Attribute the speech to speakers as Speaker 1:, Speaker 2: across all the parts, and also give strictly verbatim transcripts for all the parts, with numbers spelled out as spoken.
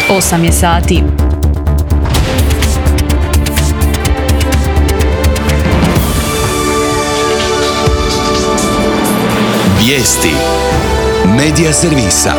Speaker 1: osam je sati.
Speaker 2: Vijesti Medija servisa.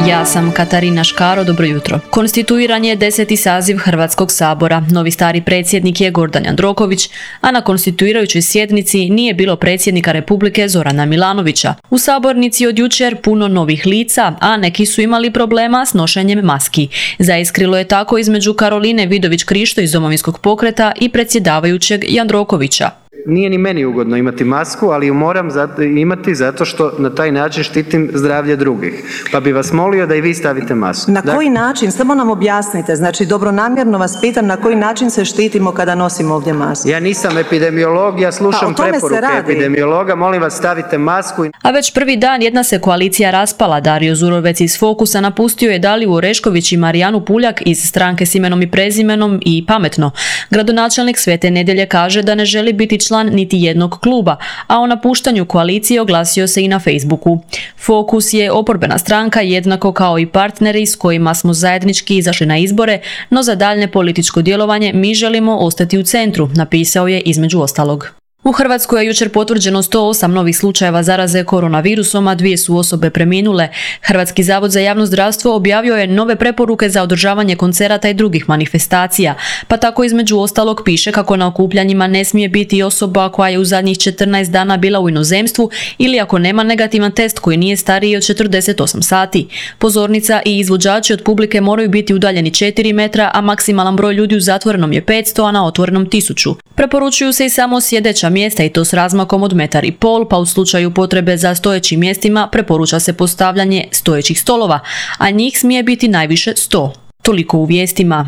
Speaker 1: Ja sam Katarina Škaro, dobro jutro. Konstituiran je deseti saziv Hrvatskog sabora. Novi stari predsjednik je Gordan Jandroković, a na konstituirajućoj sjednici nije bilo predsjednika Republike Zorana Milanovića. U sabornici od jučer puno novih lica, a neki su imali problema s nošenjem maski. Zaiskrilo je tako između Karoline Vidović-Krišto iz Domovinskog pokreta i predsjedavajućeg Jandrokovića.
Speaker 3: Nije ni meni ugodno imati masku, ali ju moram zato, imati zato što na taj način štitim zdravlje drugih. Pa bi vas molio da i vi stavite masku.
Speaker 4: Na koji način? Samo nam objasnite. Znači, dobronamjerno vas pitam na koji način se štitimo kada nosimo ovdje masku.
Speaker 3: Ja nisam epidemiolog, ja slušam
Speaker 4: pa,
Speaker 3: preporuke epidemiologa. Molim vas, stavite masku.
Speaker 1: A već prvi dan jedna se koalicija raspala. Dario Zurovec iz Fokusa napustio je Daliju Orešković i Marijanu Puljak iz stranke s imenom i prezimenom i Pametno. Gradonačelnik Svete Nedjelje kaže da ne želi biti član niti jednog kluba, a o napuštanju koalicije oglasio se i na Facebooku. Fokus je oporbena stranka jednako kao i partneri s kojima smo zajednički izašli na izbore, no za daljnje političko djelovanje mi želimo ostati u centru, napisao je između ostalog. U Hrvatskoj je jučer potvrđeno sto osam novih slučajeva zaraze koronavirusom, a dvije su osobe preminule. Hrvatski zavod za javno zdravstvo objavio je nove preporuke za održavanje koncerata i drugih manifestacija, pa tako između ostalog piše kako na okupljanjima ne smije biti osoba koja je u zadnjih četrnaest dana bila u inozemstvu ili ako nema negativan test koji nije stariji od četrdeset osam sati. Pozornica i izvođači od publike moraju biti udaljeni četiri metra, a maksimalan broj ljudi u zatvorenom je petsto, a na otvorenom tisuću. Preporučuju se i samo sjedeća mjesta i to s razmakom od metar i pol, pa u slučaju potrebe za stojećim mjestima preporuča se postavljanje stojećih stolova, a njih smije biti najviše sto. Toliko u vijestima.